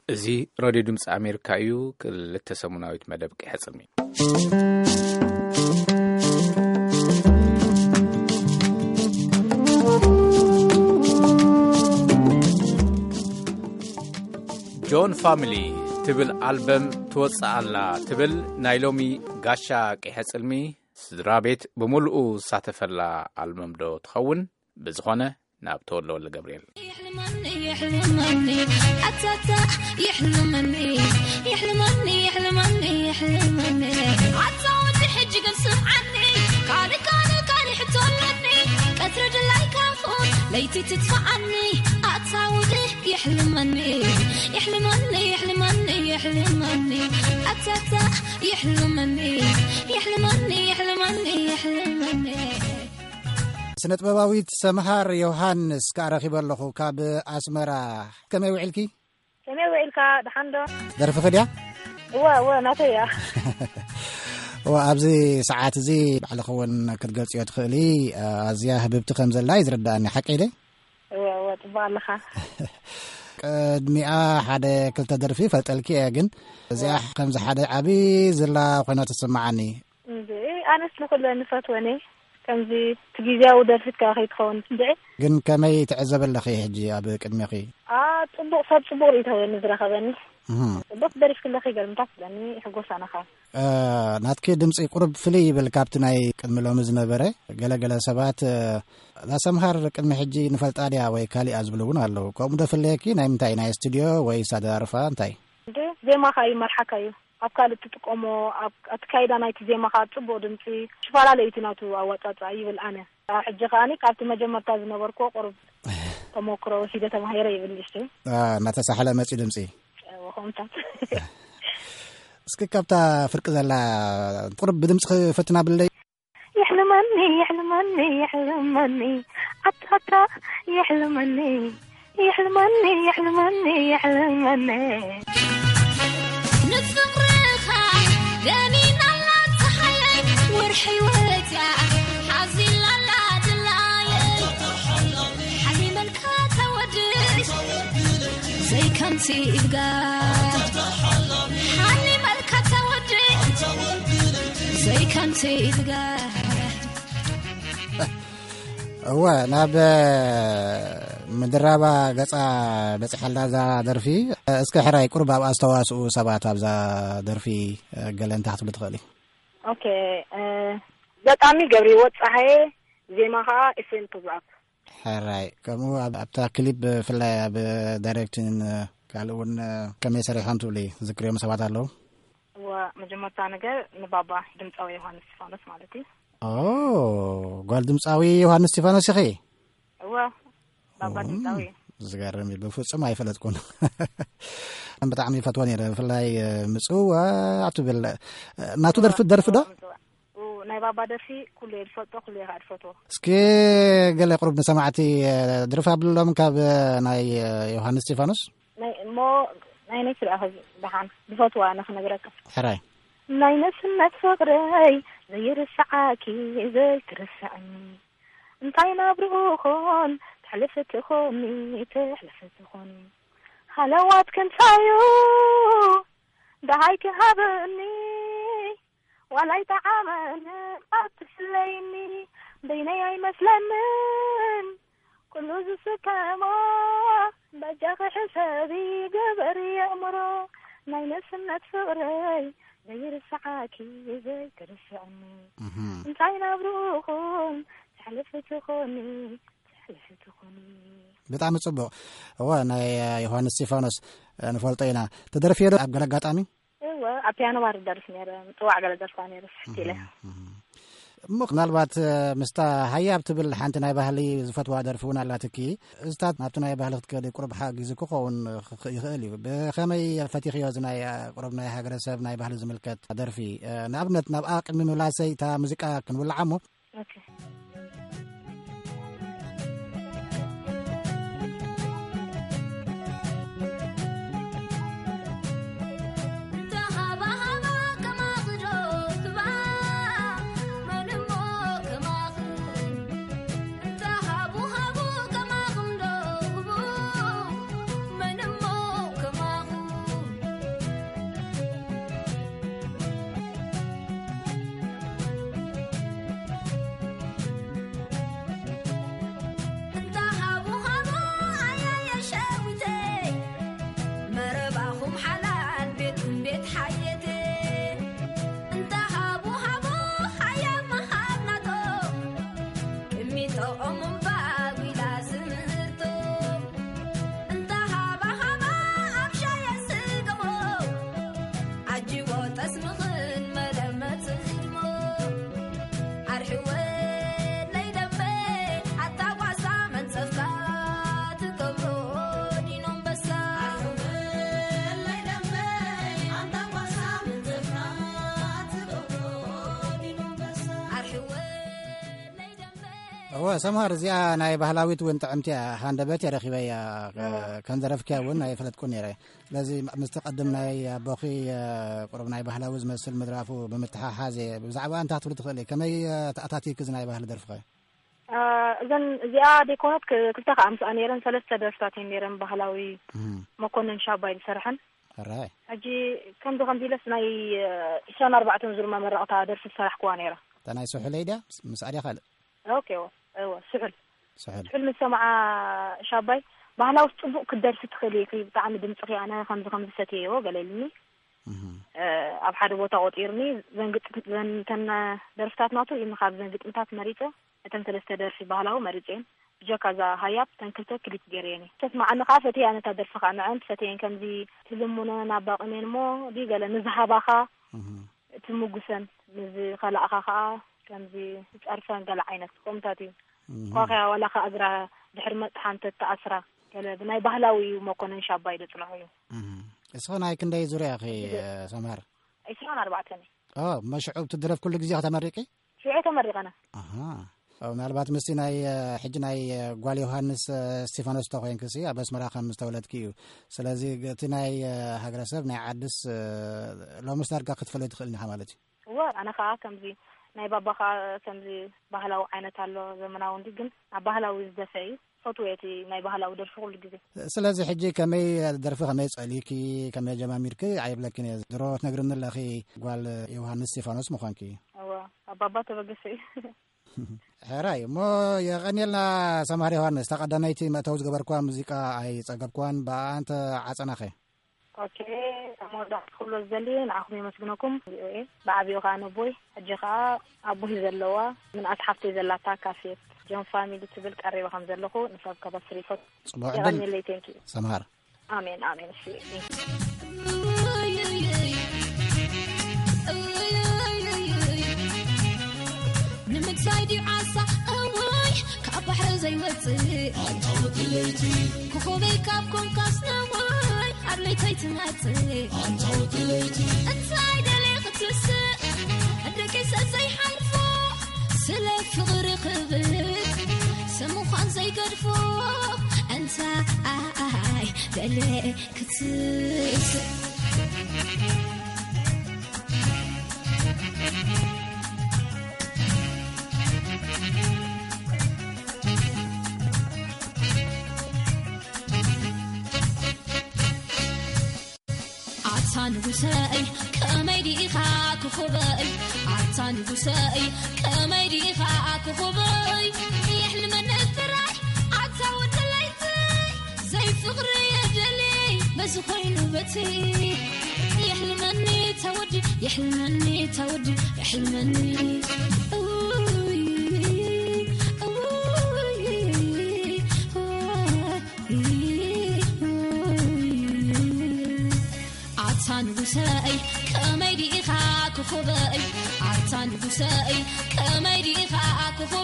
እዚ ሬድዮ ድምፂ ኣሜሪካ እዩ። ክልተ ሰሙናዊት መደብ ቀይሕፅልሚ። ጆን ፋሚሊ ትብል ኣልበም ትወፅእ ኣላ ትብል ናይ ሎሚ ጋሻ ቀይሕፅልሚ። ስድራ ቤት ብምሉኡ ዝሳተፈላ ኣልበም ዶ ትኸውን? ብዝኾነ ናብ ተወልደ ወልደ ገብርኤል። ኣታ ይሕልመኒ ይሕልመኒ ይሕልመኒ ይሕልመኒ ኣታ ወዲ ሕጂ ግን ስምዓኒ ካልእ ካልእ ካልእ ሕቶ ኣለኒ ቀትሪ ድላይካ ኹን ለይቲ ትጥፍኣኒ ኣታ ወዲ ይሕልመኒ ይሕልመኒ ይሕልመኒ ይሕልመኒ ኣታ ይሕልመኒ ይሕልመኒ ይሕልመኒ ይሕልመኒ ስነ ጥበባዊት ሰምሃር ዮሃንስ ከኣ ረኺበ ኣለኹ ካብ ኣስመራ። ከመይ ውዒልኪ? ከመይ ውዒልካ? ደሓን ዶ? ደርፊኺ ድያ? እወ እወ ናተይ እያ። እወ ኣብዚ ሰዓት እዚ ባዕልኺ እውን ክትገልፅዮ ትኽእሊ። ኣዝያ ህብብቲ ከም ዘላ እዩ ዝርዳእኒ። ሓቀይ ደ? እወ እወ ፅቡቅ ኣለኻ። ቅድሚኣ ሓደ ክልተ ደርፊ ፈልጠልኪ እየ፣ ግን እዚኣ ከምዚ ሓደ ዓብዪ ዝላ ኮይና ትስምዓኒ። እንድዒ ኣነስ ንኹለን ንፈትወን እየ። ከምዚ እቲ ግዜያዊ ደርፊት ከኣ ከይትኸውን እንድዒ። ግን ከመይ ትዕዘቢ ኣለኺ ሕጂ ኣብ ቅድሜኺ? ኣ ጽቡቕ ሰብ ጽቡቕ ርእይቶ እየ ንዝረኸበኒ። እህ። ጽቡቕ ደሪፍክለኺ ገልምታት ስለኒ ይሕጎስ ኣነ ኸኣ። እ፣ ናትኪ ድምጺ ቁሩብ ፍልይ ይብል ካብቲ ናይ ቅድሚ ሎሚ ዝነበረ። ገለ ገለ ሰባት፣ እ፣ እዛ ሰምሃር ቅድሚ ሕጂ ንፈልጣ ድያ ወይ ካሊኣ ዝብሉ እውን ኣለዉ። ከምኡ ዶ ፍለየኪ? ናይ ምንታይ? ናይ ስቱድዮ ወይስ ኣደራርፋ እንታይ? እንዴ ዜማኻ ይመርሓካ እዩ። ኣብ ካልእ ትጥቀሞ፣ ኣብ ኣካይዳ ናይቲ ዜማ ከኣ ጽቡቕ ድምጺ፣ ሽፈላለዩ እቲ ናቱ ኣወጻጽኣ ይብል ኣነ። ሕጂ ከኣኒ ካብቲ መጀመርታ ዝነበርክዎ ቁሩብ ተመክሮ ወሲደ ተማሂረ ይብል ንእሽተይ። አ፣ እናተሳሕለ መጺኡ ድምጺ። እወ፣ ከምታት። እስኪ ካብታ ፍርቂ ዘላ ቁሩብ ብድምጺ ክፈትና ብለይ። ይሕልመኒ ይሕልመኒ ይሕልመኒ ኣታታ ይሕልመኒ ይሕልመኒ ይሕልመኒ ይሕልመኒ ንፍቕርኻ ደኒናላ ፀሓየይ ወርሒ ወፅያ ሓዚላላ ድላየይ ሓሊመልካ ተወድስ ዘይከምቲ ኢድጋ ሓሊመልካ ተወድስ ዘይከምቲ ኢድጋ እወ ናብ ምድራባ ገጻ በጺሓልና እዛ ደርፊ። እስከ ሕራይ ቁሩብ ኣብ ኣስተዋስኡ ሰባት ኣብዛ ደርፊ ገለ እንታይ ክትብሉ ትኽእሊ? ኦኬ፣ ገጣሚ ገብረህይወት ጸሃየ፣ ዜማ ኸኣ ኤፍሬም ክብረኣብ። ሕራይ ከምኡ ኣብታ ክሊፕ ብፍላይ ኣብ ዳይሬክቲን ካልእ እውን ከመይ ሰሪሖም ትብሊ ዝክርዮም ሰባት ኣለዉ? እወ፣ መጀመርታ ነገር ንባባ ድምፃዊ ዮሃንስ እስጢፋኖስ ማለት እዩ። ኦ፣ ጓል ድምፃዊ ዮሃንስ እስጢፋኖስ ኢኺ? እወ፣ ባባ ድምፃዊ እዩ። ዝገርም እዩ፣ ብፍፁም ኣይፈለጥኩን። ብጣዕሚ ይፈትዎ ነይረ፣ ብፍላይ ምፅዋዕ ትብል ናቱ ደርፊ ደርፊ ዶ? ናይ ባባ ደርፊ ኩሉ እየ ዝፈልጦ፣ ኩሉ እየ ከዓ ዝፈትዎ። እስኪ ገለ ቁሩብ ንሰማዕቲ ድርፊ ኣብሎም ካብ ናይ ዮሃንስ እስጢፋኖስ። ናይ እሞ ናይ ነይ ስርኣኸ ደሓን ዝፈትዋ ኣነ ክነግረካ። ሕራይ። ናይ ነስነት ፍቕረይ ዘይርስዓኪ ዘይትርስዕኒ እንታይ ናብርኡ ኾን ተሕልፊ ትኾኒ ተሕልፊ ትኾኒ ሃለዋት ክንሳዩ ደሃይ ክሃበኒ ዋላይ ተዓመነ ኣትፍለይኒ በይነይ ኣይመስለንን ኩሉ ዝስከሞ በጃኺ ሕሰቢ ግበሪ የእምሮ ናይ ነስነት ፍቕረይ ዘይርስዓኪ ዘይትርስዕኒ እንታይ ናብርኡኹም ተሕልፊ ትኾኒ ተሕልፊ ትኾኒ ብጣዕሚ ጽቡቕ። እወ ናይ ዮሃንስ እስጢፋኖስ ንፈልጦ ኢና። ተደርፍዮ ዶ ኣብ ገለ ኣጋጣሚ? እወ ኣብ ፒያኖ ባር ደርፍ ነይረ ምጽዋዕ ገለ ደርፋ ነይረ ስሕት ኢለ። እሞ ምናልባት ምስታ ሃያብ ትብል ሓንቲ ናይ ባህሊ ዝፈትዋ ደርፊ እውን ኣላትኪ። እዚታት ናብቲ ናይ ባህሊ ክትከዲ ቁሩብ ሓጊዙ ክኸውን ይኽእል እዩ። ብኸመይ ፈቲኽዮ እዚ ናይ ቁሩብ ናይ ሃገረሰብ ናይ ባህሊ ዝምልከት ደርፊ? ንኣብነት ናብኣ ቅድሚ ምምላሰይ እታ ሙዚቃ ክንውልዓ እሞ። እወ፣ ሰምሃር፣ እዚኣ ናይ ባህላዊት እውን ጥዕምቲ እያ። ሃንደበት እየ ረኺበያ። ከም ዘረፍክያ እውን ኣይፈለጥኩን ነይረ። ስለዚ ምስቲ ቀድም ናይ ኣቦኺ ቁሩብ ናይ ባህላዊ ዝመስል ምድራፉ ብምትሓሓዝ እየ። ብዛዕባ እንታይ ክትብሊ ትኽእሊ? ከመይ ተኣታቲክ እዚ ናይ ባህሊ ደርፍኸ? እዘን እዚኣ ደይኮነት ክልተ ከዓ ምስኣ ነይረን፣ ሰለስተ ደርፍታት እየን ነይረን፣ ባህላዊ መኮንን ሻባይ ዝሰርሐን። ሕጂ ከምዚ ከምዚ ኢለስ ናይ ዕስራን ኣርባዕተን ዙር መመረቕታ ደርፊ ዝሰራሕክዋ ነይራ። እታ ናይ ስሑለይ ድያ? ምስኣ ድያ ካልእ? ኦኬ፣ እወ፣ እወ፣ ስሑል። ስሑል። ስሑል ምስ ሰማዓ ሻባይ፣ ባህላዊ ጽቡቕ ክትደርፊ ትኽእሊ ኢኺ፣ ብጣዕሚ ድምጽኺ ኣነ ከምዚ ከምዚ ሰትየዮ ገለ ኢሉኒ። ኣብ ሓደ ቦታ ቆጺርኒ፣ ዘን ግጥም-፣ ዘን-፣ እተን ደርፍታት ናቱ ኢሉ ካብ ዘን ግጥምታት መሪጸ፣ እተን ሰለስተ ደርፊ ባህላዊ መሪጸየን። ብጀካ እዛ ሃያብ እተን ክልተ ክሊፕ ገይረየን እየ። ተስማዓኒ ከኣ ፈትያ ነታ ደርፊ ከኣ ንዐን ፈትየን ከምዚ ትልሙነን ኣባቕሜን እሞ ድዩ ገለ ንዝሃባኻ ትምጉሰን፣ ንዝኸላእኻ ከኣ ከምዚ ትጸርፈን ገለ ዓይነት ከምታት እዩ። ኳኸያ ዋላ ከኣ እግራ ድሕሪ መጥሓን ተተኣስራ ገለ ብናይ ባህላዊ እዩ መኮነን ሻባይ ደጽንሖ እዩ። እስኺ ናይ ክንደይ ዙርያ ኢኺ ሰምሃር? ዕስራን ኣርባዕተን እየ። ኦ፣ መሽዑ ትድረፍ ኩሉ ግዜ ከተመሪቂ? ሽዑ ተመሪቐና። ኣሃ። ኦ፣ ምናልባት ምስቲ ናይ እ፣ ሕጂ ናይ እ፣ ጓል ዮሃንስ እ፣ እስቲፋኖስ ተኮይንክሲ ኣብ ኣስመራ ከም ዝተወለድኪ እዩ። ስለዚ እቲ ናይ እ፣ ሃገረሰብ ናይ ዓድስ እ፣ ሎምስ ዳርጋ ክትፈልዮ ትኽእል ኢኻ ማለት እዩ። እወ፣ ኣነ ከዓ ከምዚ ናይ ባባ ከዓ ከምዚ ባህላዊ ዓይነት ኣሎ፣ ዘመናዊ እንዲ፣ ግን ኣብ ባህላዊ ዝደፈ እዩ። ፈትወ እቲ ናይ ባህላዊ ደርፊ ኩሉ ግዜ። ስለዚ ሕጂ ከመይ ደርፊ ከመይ ጸሊኪ፣ ከመይ ጀማሚርኪ ኣይብለኪን እየ። ድሮ ትነግርኒ ኣለኺ ጓል ዮሃንስ እስቲፋኖስ ምዃንኪ። እወ፣ ኣብ ባባ ተበገሰ እዩ። ሕራይ እሞ የቐንየልና ሰማር ዮሃንስ። ተቐዳመይቲ መእተዊ ዝገበርክዋ ሙዚቃ ኣይጸገብክዋን፣ ብኣኣ እንተ ዓጸናኸ? ኦኬ፣ ኣብ መወዳእታ ክብሎ ዝደሊ ንዓኹም የመስግነኩም፣ ቪኦኤ። ብዓቢኡ ከኣ ነቦይ፣ ሕጂ ከኣ ኣቦይ ዘለዋ ምንኣስ ሓፍተይ ዘላታ ካፌት ጆን ፋሚሊ ትብል ቀሪበ ከም ዘለኹ ንሰብ ከበስር ይፈቱ። ጽቡቕ ዕድል። የቐንየለይ፣ ቴንኪዩ። ሰምሃር። ኣሜን፣ ኣሜን። እሺ፣ ቴንኪዩ። ንምንታይ ድዩ ዓሳ እዋይ ካብ ባሕሪ ዘይወፅእ? ኣንታ ወዲ ለይቲ። ኮኾበይ ካብ ኮንካስ ነዋይ ኣብ ለይተይ ትመፅእ። ኣንታ ወዲ ለይቲ። እንታይ ደልየ ክትስእ? ደቂሰ ዘይሓልፎ ስለ ፍቕሪ ክብል ሰብ ምዃን ዘይገድፎ እንታይ ደልየ ክትስእ? ኣታ ንጉሰይ ከመይ ዲኻ ክኹበይ? ኣታ ንጉሰይ ከመይ ዲኻ ክኹበይ? የሕልመኒ ጥራይ ኣታ ወዲ ለይቲ፣ ዘይፍቕሪ የደልይ በዚ ኮይኑ በቲ። የሕልመኒ ተወዲ፣ የሕልመኒ ተወዲ፣ የሕልመኒ። ኡይ፣ ኡይ፣ ኡይ። ኣታ ንጉሰይ ከመይ ዲኻ ክኹበይ? ኣታ ንጉሰይ ከመይ ዲኻ ክኹበይ?